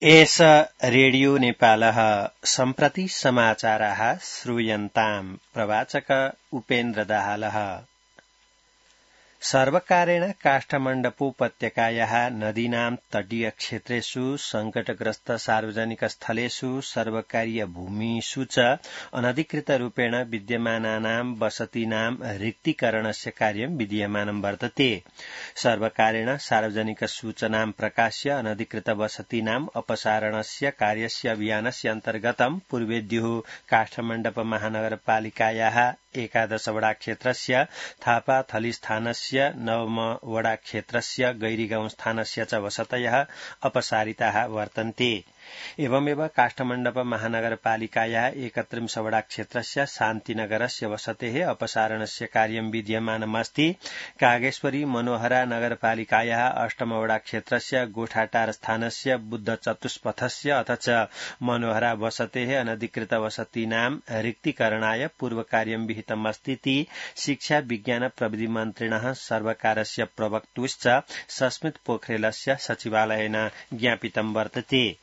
एष रेडियो नेपालः सम्प्रति समाचाराः श्रूयन्ताम्। प्रवाचक उपेन्द्र दाहालः। सर्वकारेण काष्ठमण्डपोपत्यकायाः नदीनां तटीयक्षेत्रेषु संकटग्रस्त सार्वजनिक स्थलेषु सर्वकारीय भूमिषु च अनधिकृतरूपेण विद्यमानानां वसतीनां रिक्तीकरणस्य कार्यं विधीयमानं वर्तते। सर्वकारेण सार्वजनिक सूचनां प्रकाश्य अनधिकृत वसतीनां अपसारणस्य कार्यस्य अभियानस्य अन्तर्गतं पूर्वेद्युः काष्ठमण्डप महानगरपालिकायाः 11 वडा क्षेत्रस्य थापाथली स्थानस्य 9 वडा क्षेत्रस्य गैरीगाउँ स्थानस्य च वसतयः अपसारिताः वर्तन्ते। एवमेव काष्ठमण्डप महानगरपालिकायाः 31 वडा क्षेत्रस्य शान्तिनगरस्य वसतेः अपसारणस्य कार्यं विधीयमानमस्ति। कागेश्वरी मनोहरा नगरपालिकायाः 8 वडा क्षेत्रस्य गोठाटार स्थानस्य बुद्ध चतुष्पथस्य अथ च मनोहरा वसतेः अनधिकृत वसतीनां रिक्तीकरणाय पूर्वकार्यं विहितमस्तीति शिक्षा विज्ञान प्रविधि मन्त्रिणः सर्वकारस्य प्रवक्तुश्च सस्मित पोखरेलस्य सचिवालयेन ज्ञापितं वर्तते।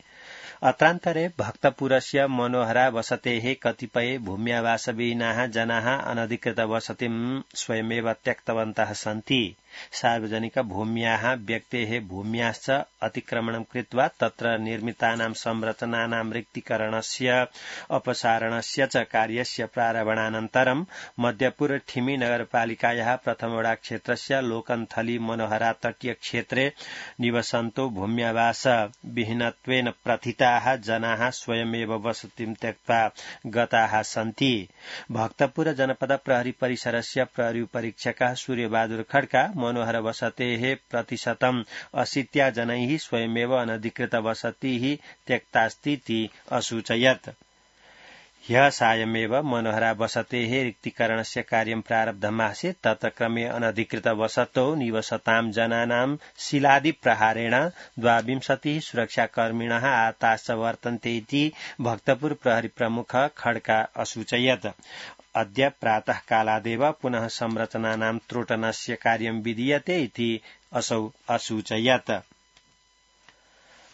अत्रान्तरे भक्तपुरस्य मनोहरा वसतेः कतिपय भूम्यावासविहीनाः जनाः अनधिकृत वसतिं स्वयमेव त्यक्तवन्तः सन्ति। सार्वजनिक भूम्याः व्यक्तेः भूम्याश्च अतिक्रमणं कृत्वा तत्र निर्मितानां संरचनानां रिक्तीकरणस्य अपसारणस्य च कार्यस्य प्रारम्भानन्तरं मध्यपुर ठिमी नगरपालिकायाः 1 वडा क्षेत्रस्य लोकन्थली मनोहरा तटीय क्षेत्रे निवसन्तो भूम्यावास विहीनत्वेन प्रथिताः जनाः स्वयमेव वसतिं त्यक्त्वा गताः सन्ति। भक्तपुर जनपद प्रहरी परिसरस्य प्रहरी परीक्षकः सूर्यबहादुर खड्का मनोहर वसतेः प्रतिशतं 80 जनैः स्वयमेव अनधिकृत वसतिः त्यक्तास्तीति असूचयत्। ह्यः सायमेव मनोहरा वसतेः रिक्तीकरणस्य कार्यं प्रारब्धमासीत्। तत्र क्रमे अनधिकृत वसतौ निवसतां जनानां शिलादि प्रहारेण 22 सुरक्षाकर्मिणः आहताश्च वर्तन्ते इति भक्तपुर प्रहरी प्रमुख खड्का असूचयत्। अद्य प्रातः कालादेव पुनः संरचनानां त्रोटनस्य कार्यं विधीयते इति असौ असूचयत्।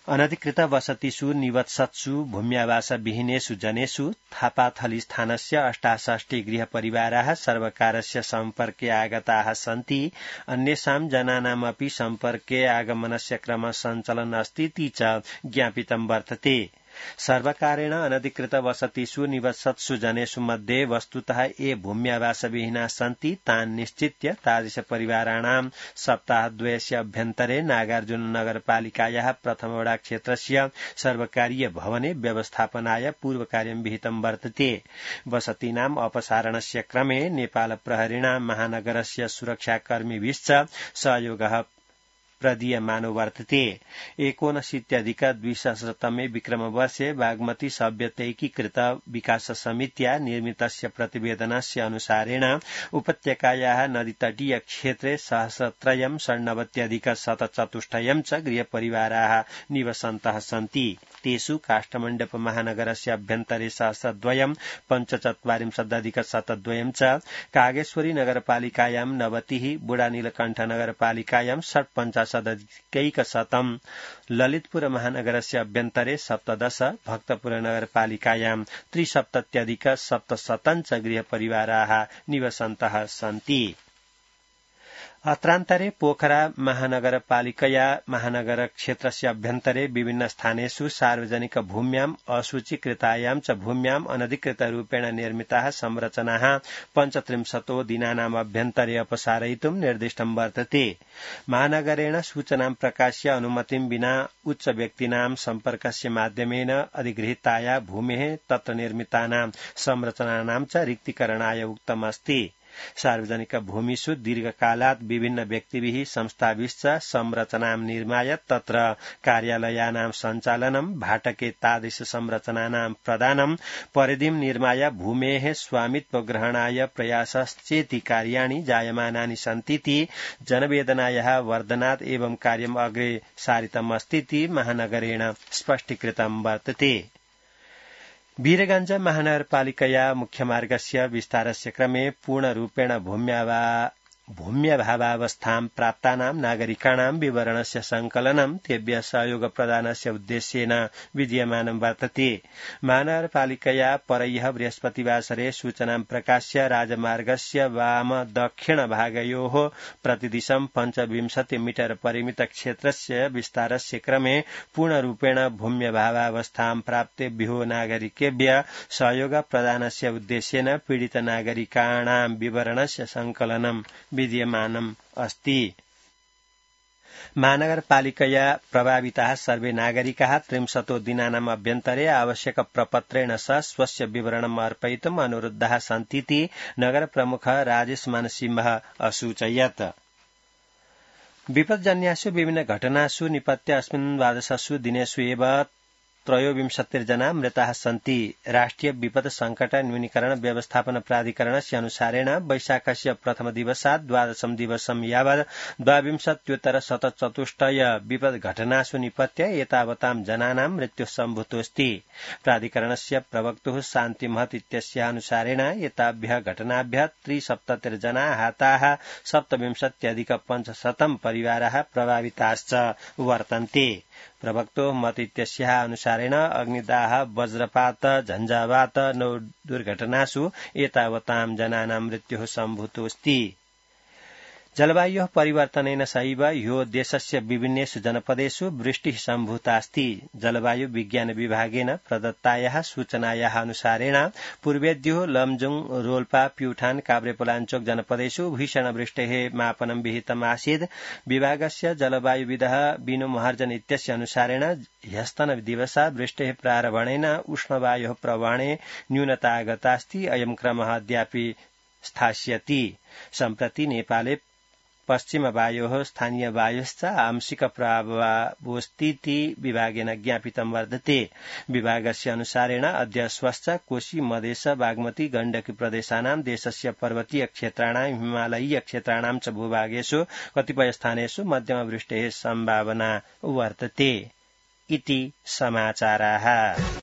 अनधिकृत वसतिषु निवत्सत्सु भूम्यावासविहीनेषु जनेषु थापाथली स्थानस्य 68 गृहपरिवाराः सर्वकारस्य सम्पर्के आगताः सन्ति। अन्येषां जनानामपि सम्पर्के आगमनस्य क्रमः सञ्चलन् अस्तीति च ज्ञापितं वर्तते। सर्वकारेण अनधिकृत वसतिषु निवसत्सु जनेषु मध्ये वस्तुतः ये भूम्यावासविहीनाः सन्ति तान् निश्चित्य तादृशपरिवाराणां सप्ताहद्वयस्य अभ्यन्तरे नागार्जुन नगरपालिकायाः 1 वडा क्षेत्रस्य सर्वकारीय भवने व्यवस्थापनाय पूर्वकार्यं विहितं वर्तते। वसतीनाम् अपसारणस्य क्रमे नेपाल प्रहरिणा महानगरस्य सुरक्षाकर्मिभिश्च सहयोगः प्रदीयमानो वर्तते। 1970-2000 विक्रमवर्षे बागमती सभ्यतैकीकृत विकास समित्या निर्मितस्य प्रतिवेदनस्य अनुसारेण उपत्यकायाः नदीतटीय क्षेत्रे 1,396,104 च गृहपरिवाराः निवसन्तः सन्ति। तेषु काष्ठमण्डप महानगरस्य अभ्यन्तरे 1,245,102 च, कागेश्वरी नगरपालिकायां 90, बुढानीलकण्ठ नगरपालिकायां 58,100, ललितपुर महानगरस्य अभ्यन्तरे 17, भक्तपुर नगरपालिकायां 73,700 च गृहपरिवाराः निवसन्तः सन्ति। अत्रान्तरे पोखरा महानगरपालिकया महानगर क्षेत्रस्य अभ्यन्तरे विभिन्न स्थानेषु सार्वजनिक भूम्याम् असूचीकृतायां च भूम्याम् अनधिकृतरूपेण निर्मिताः संरचनाः 35 दिनानाम् अभ्यन्तरे अपसारयितुं निर्दिष्टं वर्तते। महानगरेण सूचनां प्रकाश्य अनुमतिं विना उच्च व्यक्तीनां सम्पर्कस्य माध्यमेन अधिगृहीताया भूमेः तत्र निर्मितानां संरचनानां च रिक्तीकरणाय उक्तमस्ति। सार्वजनिक भूमिषु दीर्घकालात् विभिन्न व्यक्तिभिः संस्थाभिश्च संरचनां निर्माय तत्र कार्यालयानां सञ्चालनं भाटके तादृश संरचनानां प्रदानं परिधिं निर्माय भूमेः स्वामित्व ग्रहणाय प्रयासश्चेति कार्याणि जायमानानि सन्तीति जनवेदनायाः वर्धनात् एवं कार्यम् अग्रे सारितमस्तीति महानगरेण स्पष्टीकृतं वर्तते। वीरगञ्ज महानगरपालिकया मुख्यमार्गस्य विस्तारस्य क्रमे पूर्णरूपेण भूम्यावा भूम्यभावावस्थां प्राप्तानां नागरिकाणां विवरणस्य संकलनं तेभ्यः सहयोगप्रदानस्य उद्देश्येन विधीयमानं वर्तते। महानगरपालिकया परह्यः बृहस्पतिवासरे सूचनां प्रकाश्य राजमार्गस्य वाम दक्षिण भागयोः प्रतिदिशं 25 मीटर परिमित क्षेत्रस्य विस्तारस्य क्रमे पूर्णरूपेण भूम्यभावावस्थां प्राप्तेभ्यो नागरिकेभ्यः सहयोगप्रदानस्य उद्देश्येन पीडित नागरिकाणां विवरणस्य संकलनं विद्यमानम् अस्ति। महानगरपालिकया प्रभाविताः सर्वे नागरिकाः 30 दिनानाम् अभ्यन्तरे आवश्यक प्रपत्रेण सह स्वस्य विवरणम् अर्पयितुम् अनुरुद्धाः सन्तीति नगरप्रमुखः राजेश मानसिंहः असूचयत्। विपज्जन्यासु विभिन्न घटनासु निपत्य अस्मिन् द्वादशसु दिनेषु एव 23 जना मृताः सन्ति। राष्ट्रिय विपद संकट न्यूनीकरण व्यवस्थापन प्राधिकरणस्य अनुसारेण वैशाखस्य प्रथम दिवसात् द्वादशं दिवसं यावत् 22,000 विपद घटनासु निपत्य एतावतां जनानां मृत्युः सम्भूतोऽस्ति। प्राधिकरणस्य प्रवक्तुः शान्ति महत इत्यस्य अनुसारेण एताभ्यः घटनाभ्यः 73 जना आहताः 27,500 परिवाराः प्रभाविताश्च वर्तन्ते। प्रवक्तो मत इत्यस्याः अनुसारेण अग्निदाह वज्रपात झञ्झावात 9 दुर्घटनासु एतावतां जनानां मृत्युः सम्भूतोऽस्ति। जलवायोः परिवर्तनेन सहैव ह्यो देशस्य विभिन्नेषु जनपदेषु वृष्टिः सम्भूतास्ति। जलवायु विज्ञान विभागेन प्रदत्तायाः सूचनायाः अनुसारेण पूर्वेद्युः लमजुङ रोल्पा प्युठान काभ्रेपलाञ्चोक जनपदेषु भीषणवृष्टेः मापनं विहितम् आसीत्। विभागस्य जलवायुविदः बिनु महार्जन इत्यस्य अनुसारेण ह्यस्तन दिवसात् वृष्टेः प्रारम्भेन उष्णवायोः प्रवहणे न्यूनता आगतास्ति। अयं क्रमः अद्यापि स्थास्यति। सम्प्रति नेपाले पश्चिम वायोः स्थानीय वायुश्च आंशिक प्रभावोऽस्तीति विभागेन ज्ञापितं वर्तते। विभागस्य अनुसारेण अद्य स्वश्च कोशी मधेश बागमती गण्डकी प्रदेशानां देशस्य पर्वतीय क्षेत्राणां हिमालयीय क्षेत्राणां च भूभागेषु कतिपय स्थानेषु मध्यमवृष्टेः सम्भावना वर्तते इति समाचाराः।